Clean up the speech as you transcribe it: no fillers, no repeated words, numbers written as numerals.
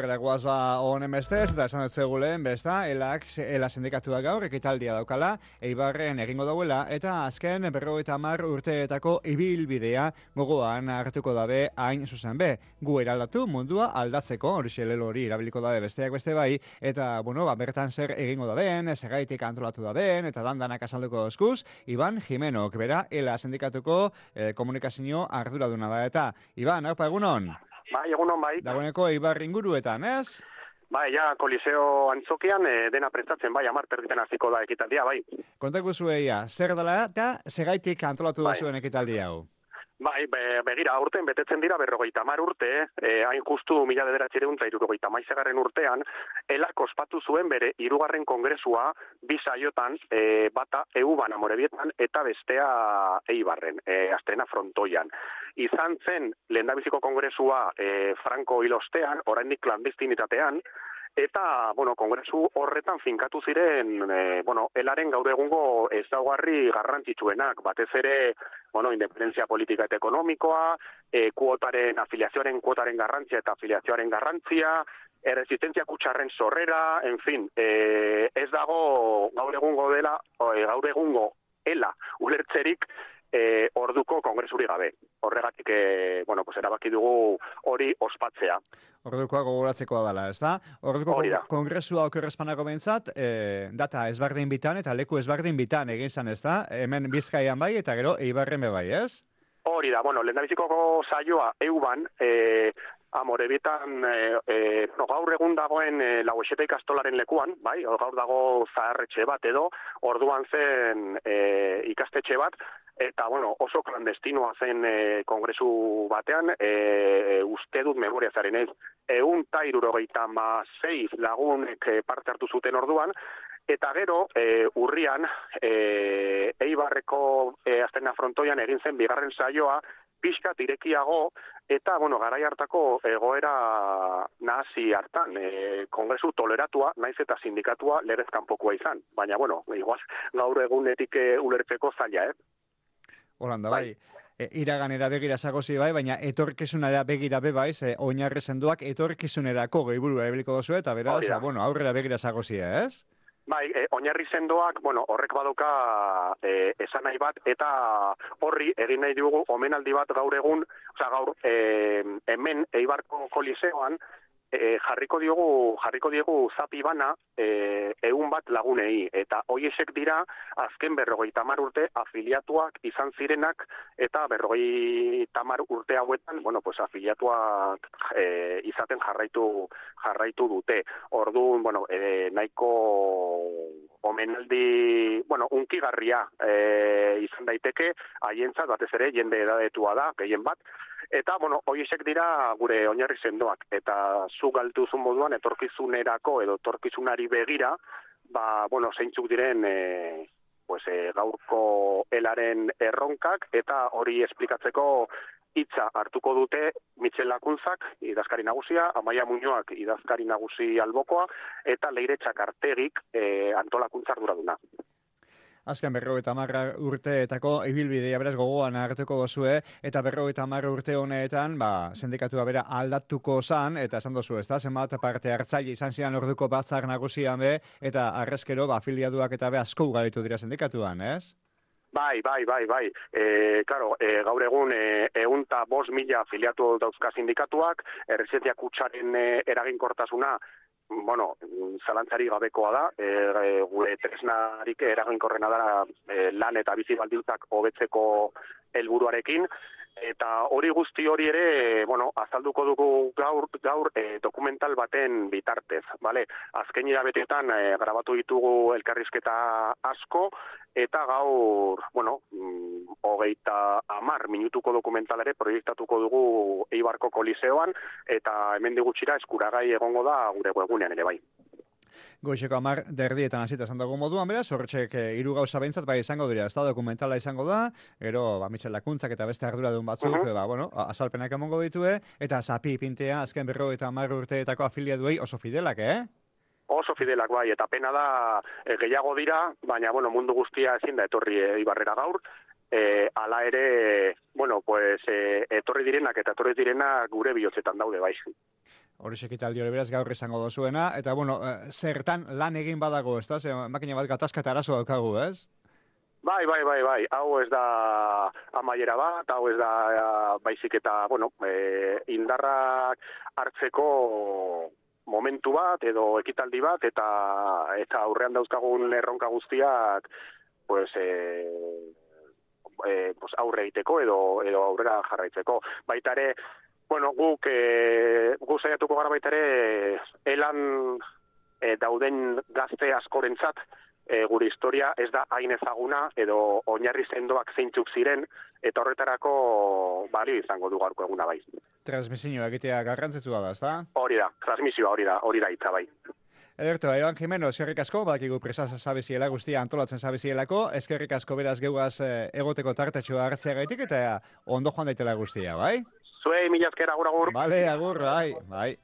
Aurrera guaz honen bestez, eta esan dut zegulen, besta, ELA sindikatua gaur, ekitaldia daukala, Eibarren egingo dauela, eta azken 50 urteetako ibilbidea gogoan hartuko dabe hain zuzen be. Gu eraldatu mundua aldatzeko, hori hori erabiliko dabe besteak beste bai, eta, bertan zer egingo dabeen, zergaitik antolatu dabeen, eta dandanak azalduko eskuz, Iban Jimenok, bera, ELA sindikatuko komunikazio arduraduna da, eta, Iban, haupa, egunon? Bai, egunon bai. Dagoeneko Eibar inguruetan, ez? Bai, ja, Koliseo antzokian dena prestatzen, bai, 10 terditan hasiko da ekitaldia, bai. Kontako zueia, zer dela eta segaitik antolatu da zuen ekitaldi hau? Bai, begira, aurten betetzen dira 50 urte, hain justu 1970 urtean, ELAk ospatu zuen bere 3. kongresua bi saiotan, bata EUban Amorebietan eta bestea Eibarren, Astrena Frontoian. Izan zen lehendabiziko kongresua Franco hil ostean, oraindik klandestinitatean, eta, kongresu horretan finkatu ziren, ELAren gaur egungo ezaugarri garrantzitsuenak, batez ere, independentzia politika eta ekonomikoa, afiliazioaren kuotaren garrantzia eta afiliazioaren garrantzia, erresistentzia kutxarren sorrera, en fin, ez dago gaur egungo ELA ulertzerik orduko kongresuri gabe. Horregatik, erabaki dugu hori ospatzea. Ordukoa gogoratzekoa dela, ez da? Orduko kongresua okerrezpanako behintzat, data ezberdin bitan eta leku ezberdin bitan egin zan, ez da? Hemen Bizkaian bai eta gero Eibarren bai, ez? Hori da, lehendabiziko saioa EUban, Amorebietan, gaur egun dagoen Lauexeta ikastolaren lekuan, bai, gaur dago zaharretxe bat edo, orduan zen ikastetxe bat, eta, oso klandestinoa zen kongresu batean, uste dut memoria zaren ez, 176 lagunek parte hartu zuten orduan, eta gero, urrian, Eibarreko Astrena Frontoian egin zen bigarren saioa, pixkat irekiago, eta, garai hartako egoera nahasi hartan, kongresu toleratua, naiz eta sindikatua lerez kanpokoa izan. Baina, igual, gaur egunetik ulertzeko zaila, Holanda, bai. Iraganera begira zagozi bai, baina etorkizunera begira be bai, oinarri sendoak etorkizunerako gehiburua ebeliko dozu, eta beraz, aurrera begira zagozi, ez? Bai, oinarri sendoak, horrek badoka esan nahi bat, eta horri egin nahi dugu omenaldi bat gaur egun, gaur hemen Eibarko Koliseoan, jarriko diegu zapi bana 100 lagunei, eta hoiesek dira azken 50 urte afiliatuak izan zirenak, eta 50 urte hauetan, afiliatuak izaten jarraitu dute. Orduan, nahiko omenaldi, unkigarria izan daiteke, haientzat batez ere jende edadetua da, gehien bat, eta, hoiesek dira gure oinarri sendoak, eta zu galtuzun moduan etorkizunerako edo etorkizunari begira, zeintzuk diren gaurko ELAren erronkak, eta hori esplikatzeko hitza hartuko dute Mitxel Lakuntzak, idazkari nagusia, Amaia Muñoak, idazkari nagusi albokoa, eta Leire Txakartegik antolakuntza arduraduna. Azken 50 urteetako ibilbidea beraz gogoan hartuko dozue, eta 50 urte honetan, sindikatua bera aldatuko zan, eta esan dozu, ez da, zenbat parte hartzaile izan zian orduko batzar nagusian be, eta arrezkero, afiliatuak eta be asko ugaritu dira sindikatuan, ez? Bai. Gaur egun 105.000 afiliatu dauzka sindikatuak, errezientzia kutxaren eraginkortasuna, zalantzari gabekoa da, gure tresnarik eraginkorrena da lan eta bizi baldintzak hobetzeko helburuarekin, eta hori guzti hori ere, azalduko dugu gaur dokumental baten bitartez, bale? Azken hilabetetan grabatu ditugu elkarrizketa asko, eta gaur, 30 minutuko dokumental ere proiektatuko dugu Eibarko Koliseoan, eta hemendik gutxira eskuragai egongo da gure webgunean ere bai. Goizeko 10:00 hasita esan dago moduan, beraz, horretxek 3 gauza behintzat bai izango dira, ez da, dokumentala izango da, gero, Mitxel Lakuntzak eta beste arduradun batzuk, azalpenak emongo ditue, eta zapi pintea azken 50 urteetako afiliatuei oso fidelak, Oso fidelak bai, eta pena da gehiago dira, baina, mundu guztia ezin da etorri Eibarrera gaur, hala ere, etorri direnak eta etorri direnak gure bihotzetan daude bai. Hori ekitaldi hori beraz gaur izango dozuena, eta bueno, zertan lan egin badago, ez da? Makina bat gatazka eta arazo daukagu, ez? Bai. Hau ez da amaiera bat, hau ez da baizik eta, bueno, indarrak hartzeko momentu bat edo ekitaldi bat eta aurrean dauzkagun erronka guztiak pues aurre egiteko edo aurrera jarraitzeko. Baita ere, bueno, guk saiatuko gara baita ere elan dauden gazte askorentzat gure historia ez da hain ezaguna edo oinarri sendoak zeintzuk ziren eta horretarako balio izango du gaurko eguna bai. Transmisioa egitea garrantzitsua da, ezta? Hori da, transmisioa hori da hitza bai. Ederto, Iban Jimeno, eskerrik asko, badakigu presa zabiziela guztia antolatzen zabizielako, eskerrik asko beraz geugaz egoteko tartetxoa hartzeagaitik eta ondo joan daitela guztia, bai? Zuei, mila esker, agur. Bale, agur, bai.